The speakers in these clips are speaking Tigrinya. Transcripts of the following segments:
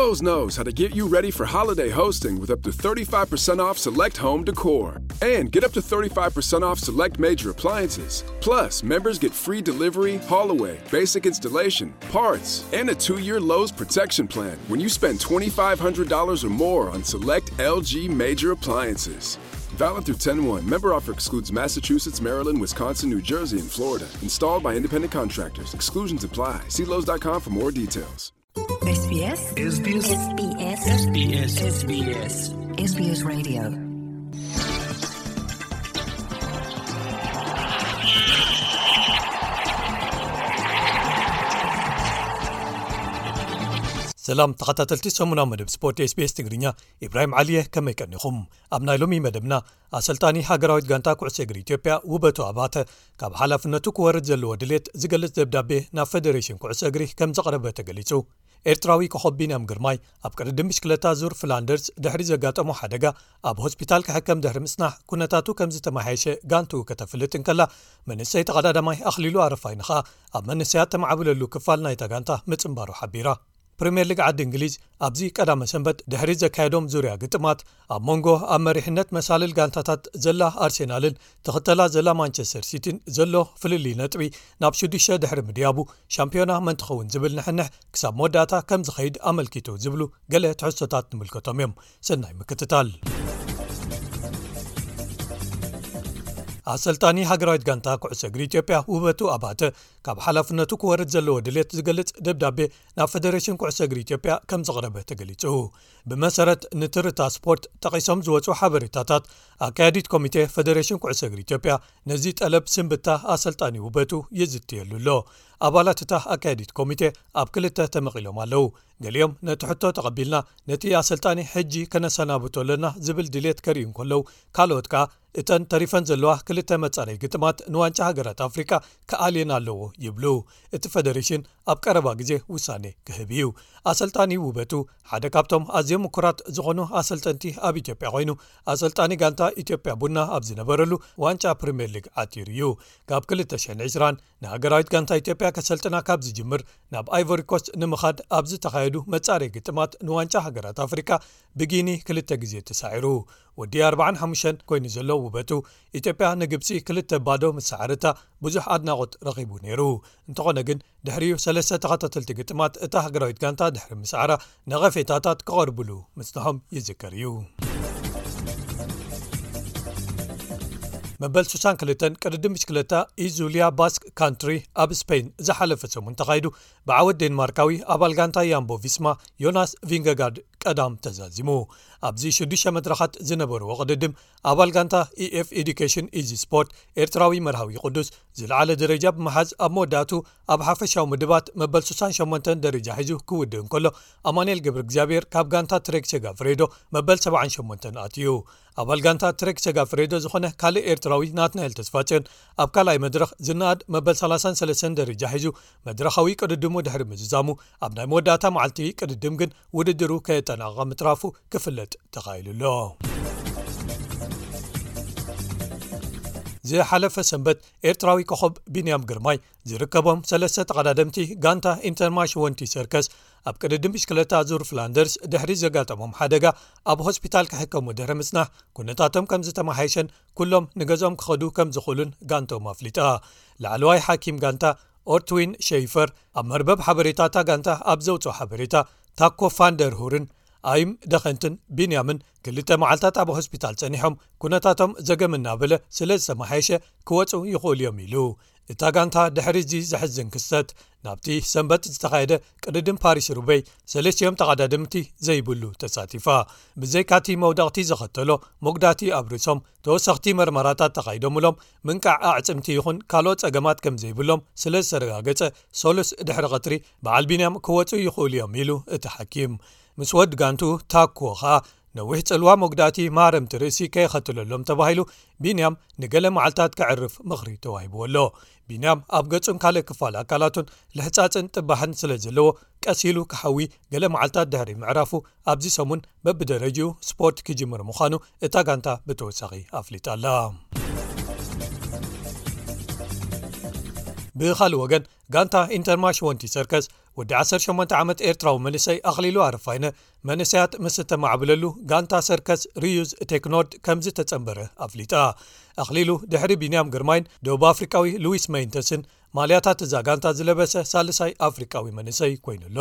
Lowe's knows how to get you ready for holiday hosting with up to thirty-five percent off select home decor. And get up to thirty-five percent off select major appliances. Plus, members get free delivery, haul away, basic installation, parts, and a two year Lowe's protection plan when you spend twenty-five hundred dollars or more on select L G major appliances. Valid through ten one. Member offer excludes Massachusetts, Maryland, Wisconsin, New Jersey, and Florida. Installed by independent contractors. Exclusions apply. See Lowe's dot com for more details. S B S. S B S. S B S. S B S. S B S. S B S Radio. ሰላም ተኸታተልቲ ሰሙናዊ መደብ ስፖርት S B S ትግርኛ፣ ኢብራሂም ዓሊየ፣ ከመይ ቀኒኹም? ኣብ ናይ ሎሚ መደብና፣ ኣሰልጣኒ ሃገራዊት ጋንታ ኩዕሶ እግሪ ኢትዮጵያ ውበቱ ኣባተ ካብ ሓላፍነቱ ክወርድ ዘለዎ ድሌት ዝገልጽ ደብዳቤ ናብ ፈደሬሽን ኩዕሶ እግሪ ከም ዘቕረበ ተገሊጹ። ኤርትራዊ ኮኸብ ቢንያም ግርማይ ኣብ ቅድድም ብሽክለታ ዙር ፍላንደርስ ድሕሪ ዘጋጠሞ ሓደጋ ኣብ ሆስፒታል ክሕከም ድሕሪ ምጽናሕ፣ ኩነታቱ ከም ዝተመሓየሸ ጋንትኡ ከተፍልጥ እንከላ፣ መንእሰይ ተቐዳዳማይ ኣኽሊሉ ኣረፋይነ ኸኣ ኣብ መንእሰያት ተማዕብለሉ ክፋል ናይታ ጋንታ ምጽንባሩ ሓቢራ። ፕሪምየር ሊግ ዓዲ እንግሊዝ ኣብዚ ቀዳመ ሰንበት ድሕሪ ዘካየዶም ዙርያ ግጥማት፣ ኣብ መንጎ ኣብ መሪሕነት መሳልል ጋንታታት ዘላ ኣርሴናልን ትኽተላ ዘላ ማንቸስተር ሲቲን ዘሎ ፍልልይ ነጥቢ ናብ ሽዱሽተ ድሕሪ ምድያቡ፣ ሻምፒዮና መን ትኸውን ዝብል ንሕንሕ ክሳብ መወዳእታ ከም ዝኸይድ ኣመልኪቱ ዝብሉ ገለ ትሕዝቶታት ንምልከቶም እዮም። ሰናይ ምክትታል። ኣሰልጣኒ ሃገራዊት ጋንታ ኩዕሶ እግሪ ኢትዮጵያ ውበቱ ኣባተ ካብ ሓላፍነቱ ክወርድ ዘለዎ ድሌት ዝገልጽ ደብዳቤ ናብ ፈደሬሽን ኩዕሶ እግሪ ኢትዮጵያ ከም ዘቕረበ ተገሊጹ። ብመሰረት ንትርታ ስፖርት ጠቒሶም ዝወጹ ሓበሬታታት፣ ኣካያዲት ኮሚቴ ፈደሬሽን ኩዕሶ እግሪ ኢትዮጵያ ነዚ ጠለብ ስንብታ ኣሰልጣኒ ውበቱ ይዝትየሉ ኣሎ። ኣባላት እታ ኣካያዲት ኮሚቴ ኣብ ክልተ ተመቒሎም ኣለዉ። ገሊኦም ነቲ ሕቶ ተቐቢልና፣ ነቲ ኣሰልጣኒ ሕጂ ከነሰናብቶ ኣለና ዝብል ድሌት ከርእዩ እንከለዉ፣ ካልኦት ከኣ እተን ተሪፈን ዘለዋ ክልተ መጻረይ ግጥማት ንዋንጫ ሃገራት ኣፍሪቃ ክኣልየን ኣለዎ ይብሉ። እቲ ፈደሬሽን ኣብ ቀረባ ግዜ ውሳኔ ክህብ እዩ። ኣሰልጣኒ ውበቱ ሓደ ካብቶም ኣዝዮም ምኩራት ዝኾኑ ኣሰልጠንቲ ኣብ ኢትዮጵያ ኮይኑ፣ ኣሰልጣኒ ጋንታ ኢትዮጵያ ቡና ኣብ ዝነበረሉ ዋንጫ ፕሪምየር ሊግ ዓቲሩ እዩ። ካብ ክልተ ሽሕን ዕስራን ንሃገራዊት ጋንታ ኢትዮጵያ ከሰልጥና ካብ ዝጅምር፣ ናብ ኣይቮሪ ኮስት ንምኻድ ኣብ ዝተኻየዱ መጻረይ ግጥማት ንዋንጫ ሃገራት ኣፍሪካ ብጊኒ ክልተ ግዜ ተሳዒሩ። ወዲ ኣርባዓን ሓሙሽተን ኮይኑ ዘሎ ውበቱ፣ ኢትዮጵያ ንግብጺ ክልተ ባዶ ምስ ሰዓረታ ብዙሕ ኣድናቖት ረኺቡ ነይሩ። እንተኾነ ግን፣ ድሕሪኡ ሰለስተ ተኸታተልቲ ግጥማት እታ ሃገራዊት ጋንታ ድሕሪ ምስዓራ፣ ነቐፌታታት ክቐርብሉ ምጽንሖም ይዝከር እዩ። መበል ስሳን ክልተን ቅድድም ብሽክለታ ኢዙልያ ባስክ ካንትሪ ኣብ ስፔን ዝሓለፈ ሰሙን ተኻይዱ፣ ብዓወት ዴንማርካዊ ኣባል ጋንታ ያምቦ ቪስማ ዮናስ ቪንገጋርድ ቀዳም ተዛዚሙ። ኣብዚ ሽዱሽተ መድረኻት ዝነበርዎ ቅድድም፣ ኣባል ጋንታ ኢኤፍ ኤዱኬሽን ኢዚ ስፖርት ኤርትራዊ መርሃዊ ቅዱስ ዝለዓለ ደረጃ ብምሓዝ፣ ኣብ መወዳእቱ ኣብ ሓፈሻዊ ምድባት መበል ስሳን ሸሞንተን ደረጃ ሒዙ ክውድእ እንከሎ፣ ኣማኑኤል ገብረ እግዚኣብሔር ካብ ጋንታ ትሬክ ሴጋፍሬዶ መበል ሰብዓን ሸሞንተን ኣትዩ። ኣባል ጋንታ ትሬክ ሴጋፍሬዶ ዝኾነ ካልእ ኤርትራዊ ናትናኤል ተስፋጽዮን፣ ኣብ ካልኣይ መድረኽ ዝነኣድ መበል ሰላሳን ሰለስተን ደረጃ ሒዙ መድረኻዊ ቅድድሙ ድሕሪ ምዝዛሙ፣ ኣብ ናይ መወዳእታ መዓልቲ ቅድድም ግን ውድድሩ ከየጠናቐቐ ምትራፉ ክፍለጥ ተኻኢሉ ኣሎ። ዝሓለፈ ሰንበት ኤርትራዊ ኮኸብ ቢንያም ግርማይ ዝርከቦም ሰለስተ ተቐዳደምቲ ጋንታ ኢንተርማሽ ወንቲ ሰርከስ፣ ኣብ ቅድድም ብሽክለታ ዙር ፍላንደርስ ድሕሪ ዘጋጠሞም ሓደጋ ኣብ ሆስፒታል ክሕከሙ ድሕሪ ምጽናሕ፣ ኩነታቶም ከም ዝተመሓየሸን ኩሎም ንገዝኦም ክኸዱ ከም ዝኽእሉን ጋንቶም ኣፍሊጣ። ላዕለዋይ ሓኪም ጋንታ ኦርትዊን ሸይፈር ኣብ መርበብ ሓበሬታ እታ ጋንታ ኣብ ዘውፅኦ ሓበሬታ፣ ታኮ ፋንደር ሁርን ኣይም ደኸንትን ቢንያምን ክልተ መዓልታት ኣብ ሆስፒታል ጸኒሖም፣ ኩነታቶም ዘገም እናበለ ስለ ዝተመሓየሸ ክወፁ ይኽእሉ እዮም ኢሉ። እታ ጋንታ ድሕሪ እዚ ዘሕዝን ክስተት፣ ናብቲ ሰንበት ዝተኻየደ ቅድድም ፓሪስ ሩበይ ሰለስቲኦም ተቐዳደምቲ ዘይብሉ ተሳቲፋ። ብዘይካቲ መውደቕቲ ዘኸተሎ መጉዳቲ ኣብ ርእሶም፣ ተወሰኽቲ መርመራታት ተኻይዶምሎም፣ ምንቃዕ ኣዕጽምቲ ይኹን ካልኦት ጸገማት ከም ዘይብሎም ስለ ዝተረጋገጸ፣ ሰሉስ ድሕሪ ቀትሪ በዓል ቢንያም ክወጹ ይኽእሉ እዮም ኢሉ እቲ ሓኪም። ምስ ወድ ጋንቱ ታኩዎ ኸኣ፣ ነዊሕ ጽልዋ መጉዳእቲ ማረምቲ ርእሲ ከየኸትለሎም ተባሂሉ፣ ቢንያም ንገለ መዓልታት ከዕርፍ ምኽሪ ተዋሂብዎ ኣሎ። ቢንያም ኣብ ገጹን ካልእ ክፋል ኣካላቱን ልሕጻጽን ጥባሕን ስለ ዘለዎ፣ ቀስ ኢሉ ክሓዊ ገለ መዓልታት ድሕሪ ምዕራፉ፣ ኣብዚ ሰሙን በብደረጅኡ ስፖርት ክጅምር ምዃኑ እታ ጋንታ ብተወሳኺ ኣፍሊጣ ኣላ። ብኻልእ ወገን፣ ጋንታ ኢንተርማሽ ወንቲ ሰርከስ ወዲ ዓሰርተ ሸሞንተ ዓመት ኤርትራዊ መንእሰይ ኣኽሊሉ ኣረፋይነ፣ መንእሰያት ምስ እተማዕብለሉ ጋንታ ሰርከስ ሪዩዝ ቴክኖርድ ከም ዝተጸንበረ ኣፍሊጣ። ኣኽሊሉ ድሕሪ ቢንያም ግርማይን ደቡብ ኣፍሪቃዊ ሉዊስ መይንተስን ማልያታት እዛ ጋንታ ዝለበሰ ሳልሳይ ኣፍሪቃዊ መንእሰይ ኮይኑ ኣሎ።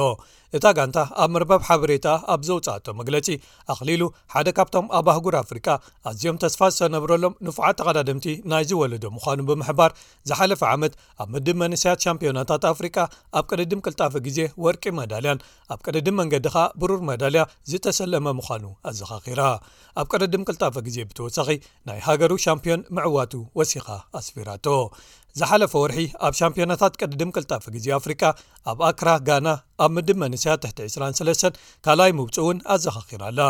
እታ ጋንታ ኣብ መርበብ ሓበሬታ ኣብ ዘውጽኣቶ መግለጺ፣ ኣኽሊሉ ሓደ ካብቶም ኣብ ኣህጉር ኣፍሪቃ ኣዝዮም ተስፋ ዝተነብረሎም ንፉዓት ተቐዳደምቲ ናይዚ ወለዶ ምዃኑ ብምሕባር፣ ዝሓለፈ ዓመት ኣብ ምድብ መንእሰያት ሻምፒዮናታት ኣፍሪቃ ኣብ ቅድድም ቅልጣፈ ግዜ ወርቂ መዳልያን ኣብ ቅድድም መንገዲ ኸኣ ብሩር መዳልያ ዝተሰለመ ምዃኑ ኣዘኻኺራ። ኣብ ቅድድም ቅልጣፈ ግዜ ብተወሳኺ ናይ ሃገሩ ሻምፒዮን ምዕዋቱ ወሲኻ ኣስፊራቶ። ዝሓለፈ ወርሒ ኣብ ሻምፒዮናታት ቅድድም ቅልጣፈ ግዜ ኣፍሪቃ ኣብ ኣክራ ጋና ኣብ ምድብ መንእሰያት ትሕቲ ዕስራን ሰለስተን ካልኣይ ምውፅኡን ኣዘኻኺራ ኣላ።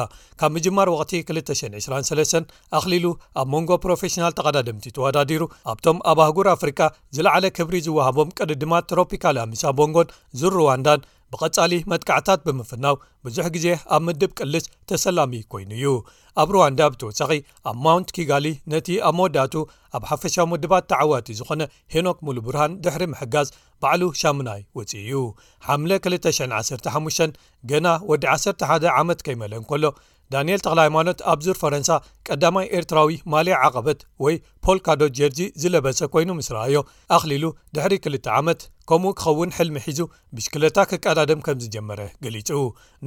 ካብ ምጅማር ወቕቲ ክልተ ሽሕን ዕስራን ሰለስተን ኣኽሊሉ ኣብ መንጎ ፕሮፌሽናል ተቐዳደምቲ ተወዳዲሩ ኣብቶም ኣብ ኣህጉር ኣፍሪቃ ዝለዓለ ክብሪ ዝወሃቦም ቅድድማት ትሮፒካል ኣሚሳ ቦንጎን ዙር ሩዋንዳን ብቐጻሊ መጥቃዕታት ብምፍናው ብዙሕ ግዜ ኣብ ምድብ ቅልስ ተሰላሚ ኮይኑ እዩ። ኣብ ሩዋንዳ ብተወሳኺ ኣብ ማውንት ኪጋሊ ነቲ ኣብ መወዳእቱ ኣብ ሓፈሻዊ ምድባት ተዓዋቲ ዝኾነ ሄኖክ ሙሉ ብርሃን ድሕሪ ምሕጋዝ ባዕሉ ሻምናይ ወጺኡ እዩ። ሓምለ ክልተ ሽሕን ዓሰርተ ሓሙሽተን ገና ወዲ ዓሰርተ ሓደ ዓመት ከይመለ እንከሎ ዳንኤል ተኽለ ሃይማኖት ኣብ ዙር ፈረንሳ ቀዳማይ ኤርትራዊ ማልያ ዓቐበት ወይ ፖልካዶት ጀርዚ ዝለበሰ ኮይኑ ምስ ረኣዮ ኣኽሊሉ ድሕሪ ክልተ ዓመት ከምኡ ክኸውን ሕልሚ ሒዙ ብሽክለታ ክቀዳደም ከም ዝጀመረ ገሊጹ።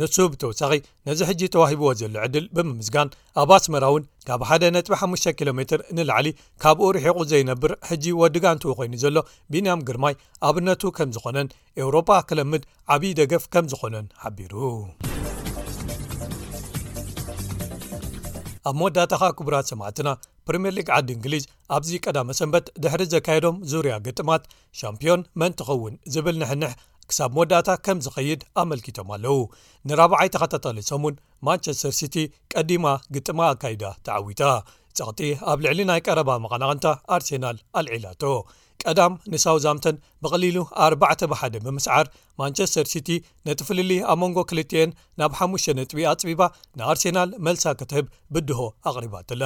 ንሱ ብተወሳኺ ነዚ ሕጂ ተዋሂብዎ ዘሎ ዕድል ብምምስጋን ኣብ ኣስመራ እውን ካብ ሓደ ነጥቢ ሓሙሽተ ኪሎ ሜትር ንላዕሊ ካብኡ ርሒቑ ዘይነብር ሕጂ ወዲ ጋንትኡ ኮይኑ ዘሎ ቢንያም ግርማይ ኣብነቱ ከም ዝኾነን ኤውሮጳ ክለምድ ዓብዪ ደገፍ ከም ዝኾነን ሓቢሩ። ኣብ መወዳእታ ኸኣ ክቡራት ሰማዕትና ፕሪምየር ሊግ ዓዲ እንግሊዝ ኣብዚ ቀዳመ ሰንበት ድሕሪ ዘካየዶም ዙርያ ግጥማት ሻምፒዮን መን ትኸውን ዝብል ንሕንሕ ክሳብ መወዳእታ ከም ዝኸይድ ኣመልኪቶም ኣለዉ። ንራብዓይ ተኸታታሊ ሰሙን ማንቸስተር ሲቲ ቀዲማ ግጥማ ኣካይዳ ተዓዊታ። ጸቕጢ ኣብ ልዕሊ ናይ ቀረባ መቐናቕንታ ኣርሴናል ኣልዒላቶ። ቀዳም ንሳውዛምተን ብቐሊሉ ኣርባዕተ ብሓደ ብምስዓር ማንቸስተር ሲቲ ነቲ ፍልልይ ኣብ መንጎ ክልቲኤን ናብ ሓሙሽተ ነጥቢ ኣጽቢባ ንኣርሴናል መልሳ ክትህብ ብድሆ ኣቕሪባትላ።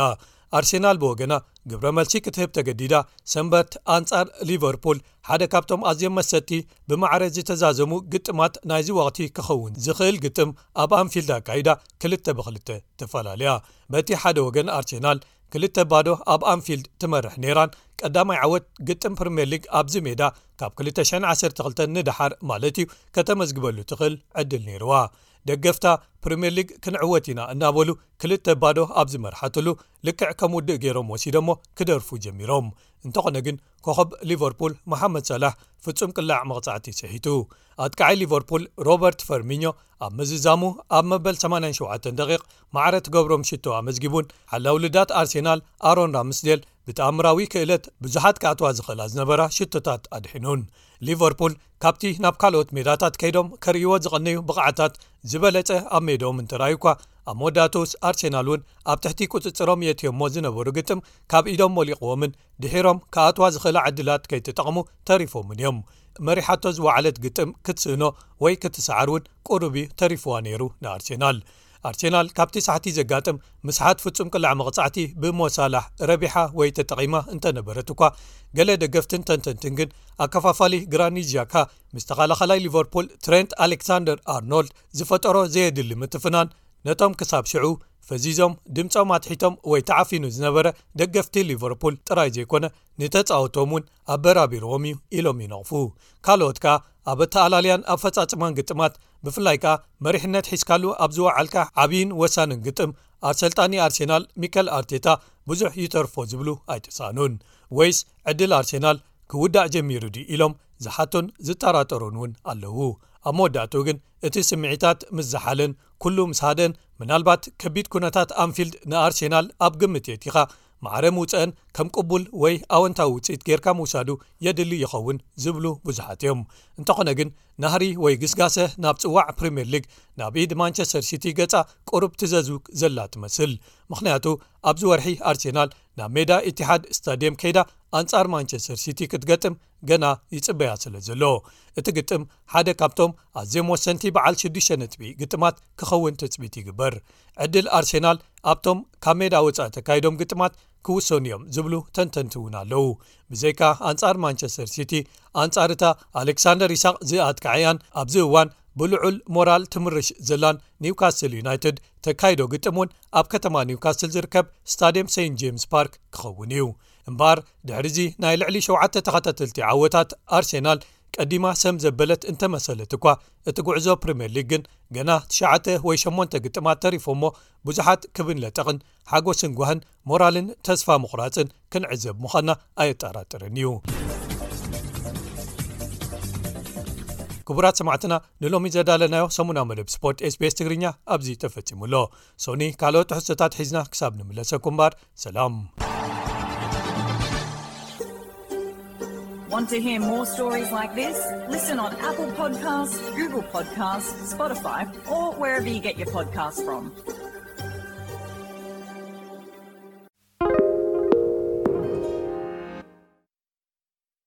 ኣርሴናል ብወገና ግብረ መልሲ ክትህብ ተገዲዳ ሰንበት ኣንጻር ሊቨርፑል ሓደ ካብቶም ኣዝዮም መሰጥቲ ብማዕረ ዝተዛዘሙ ግጥማት ናይዚ ወቕቲ ክኸውን ዝኽእል ግጥም ኣብ ኣንፊልድ ኣካይዳ ክልተ ብክልተ ተፈላለያ። በቲ ሓደ ወገን ኣርሴናል ክልተ ባዶ ኣብ ኣንፊልድ ትመርሕ ነይራን ቀዳማይ ዓወት ግጥም ፕሪምየር ሊግ ኣብዚ ሜዳ ካብ ክልተ ሽሕን ዓሰርተ ክልተን ንደሓር ማለት እዩ ከተመዝግበሉ ትኽእል ዕድል ነይርዋ። ደገፍታ ፕሪምየር ሊግ ክንዕወት ኢና እናበሉ ክልተ ባዶ ኣብ ዝመርሓትሉ ልክዕ ከም ውድእ ገይሮም ወሲዶሞ ክደርፉ ጀሚሮም። እንተኾነ ግን ኮኸብ ሊቨርፑል መሓመድ ሰላሕ ፍጹም ቅላዕ መቕጻዕቲ ስሒቱ። ኣጥቃዓይ ሊቨርፑል ሮበርት ፈርሚኞ ኣብ ምዝዛሙ ኣብ መበል ሰማንያን ሸውዓተን ደቂቕ ማዕረ ትገብሮም ሽቶ ኣመዝጊቡን ሓላው ልዳት ኣርሴናል ኣሮን ራምስዴል ብተኣምራዊ ክእለት ብዙሓት ክኣትዋ ዝኽእላ ዝነበራ ሽቶታት ኣድሒኑን። ሊቨርፑል ካብቲ ናብ ካልኦት ሜዳታት ከይዶም ከርእይዎ ዝቐነዩ ብቕዓታት ዝበለጸ ኣብ ሜድኦም እንተረኣዩ እኳ ኣብ መወዳእትኡስ ኣርሴናል እውን ኣብ ትሕቲ ቁጽጽሮም የእትዮሞ ዝነበሩ ግጥም ካብ ኢዶም ወሊቕዎምን ድሒሮም ክኣትዋ ዝኽእላ ዕድላት ከይተጠቕሙ ተሪፎምን እዮም። መሪሓቶ ዝወዓለት ግጥም ክትስእኖ ወይ ክትሰዓር እውን ቁሩብ እዩ ተሪፍዋ ነይሩ ንኣርሴናል። ኣርሴናል ካብቲ ሳሕቲ ዘጋጥም ምስሓት ፍጹም ቅላዕ መቕጻዕቲ ብሞሳላሕ ረቢሓ ወይ ተጠቒማ እንተነበረት እኳ፣ ገለ ደገፍትን ተንተንትን ግን ኣከፋፋሊ ግራኒት ዣካ ምስ ተኸላኸላይ ሊቨርፑል ትሬንት ኣሌክሳንደር ኣርኖልድ ዝፈጠሮ ዘየድሊ ምትፍናን ነቶም ክሳብ ሽዑ ፈዚዞም ድምጾም ኣትሒቶም ወይ ተዓፊኑ ዝነበረ ደገፍቲ ሊቨርፑል ጥራይ ዘይኮነ ንተጻወቶም እውን ኣበራቢርዎም እዩ ኢሎም ይነቕፉ። ካልኦት ከኣ ኣብ ኣተኣላልያን ኣፈጻጽማን ግጥማት ብፍላይ ከኣ መሪሕነት ሒዝካሉ ኣብ ዝወዓልካ ዓብይን ወሳንን ግጥም ኣሰልጣኒ ኣርሴናል ሚከል ኣርቴታ ብዙሕ ይተርፎ ዝብሉ ኣይተሳእኑን። ወይስ ዕድል ኣርሴናል ክውዳእ ጀሚሩ ድዩ ኢሎም ዝሓቱን ዝጠራጠሩን እውን ኣለዉ። ኣብ መወዳእትኡ ግን እቲ ስምዒታት ምስ ዝሓለን ኩሉ ምስ ሃደን ምናልባት ከቢድ ኩነታት ኣንፊልድ ንኣርሴናል ኣብ ግምት የእቲኻ ማዕረ ምውፀአን ከም ቅቡል ወይ ኣወንታዊ ውፅኢት ጌርካ ምውሳዱ የድሊ ይኸውን ዝብሉ ብዙሓት እዮም። እንተኾነ ግን ናህሪ ወይ ግስጋሰ ናብ ፅዋዕ ፕሪምየር ሊግ ናብ ኢድ ማንቸስተር ሲቲ ገፃ ቁሩብ ትዘዙ ዘላ ትመስል። ምኽንያቱ ኣብዚ ወርሒ ኣርሴናል ናብ ሜዳ ኢቲሓድ ስታድየም ከይዳ ኣንጻር ማንቸስተር ሲቲ ክትገጥም ገና ይጽበያ ስለ ዘሎ፣ እቲ ግጥም ሓደ ካብቶም ኣዝዮም ወሰንቲ በዓል ሽዱሽተ ነጥቢ ግጥማት ክኸውን ትጽቢት ይግበር። ዕድል ኣርሴናል ኣብቶም ካብ ሜዳ ወጻኢ ተካይዶም ግጥማት ክውሰኑ እዮም ዝብሉ ተንተንቲ እውን ኣለዉ። ብዘይካ ኣንጻር ማንቸስተር ሲቲ፣ ኣንጻር እታ ኣሌክሳንደር ኢሳቕ ዝኣትከዐያን ኣብዚ እዋን ብልዑል ሞራል ትምርሽ ዘላን ኒውካስል ዩናይትድ፣ ተካይዶ ግጥም እውን ኣብ ከተማ ኒውካስል ዝርከብ ስታድየም ሴንት ጄምስ ፓርክ ክኸውን እዩ። እምበኣር ድሕሪዚ ናይ ልዕሊ ሸውዓተ ተኸታተልቲ ዓወታት ኣርሴናል ቀዲማ ሰም ዘበለት እንተመሰለት እኳ፣ እቲ ጉዕዞ ፕሪምየር ሊግ ግን ገና ትሽዓተ ወይ ሸሞንተ ግጥማት ተሪፎሞ፣ ብዙሓት ክብን ለጠቕን ሓጎስን ጓህን ሞራልን ተስፋ ምቑራጽን ክንዕዘብ ምዃንና ኣየጠራጥርን እዩ። ክቡራት ሰማዕትና፣ ንሎሚ ዘዳለናዮ ሰሙናዊ መደብ ስፖርት SBS ትግርኛ ኣብዚ ተፈጺሙ ኣሎ። ሶኒ ካልኦት ትሕዝቶታት ሒዝና ክሳብ ንምለሰኩም እምበኣር ሰላም። Want to hear more stories like this? Listen on Apple Podcasts, Google Podcasts, Spotify, or wherever you get your podcasts from.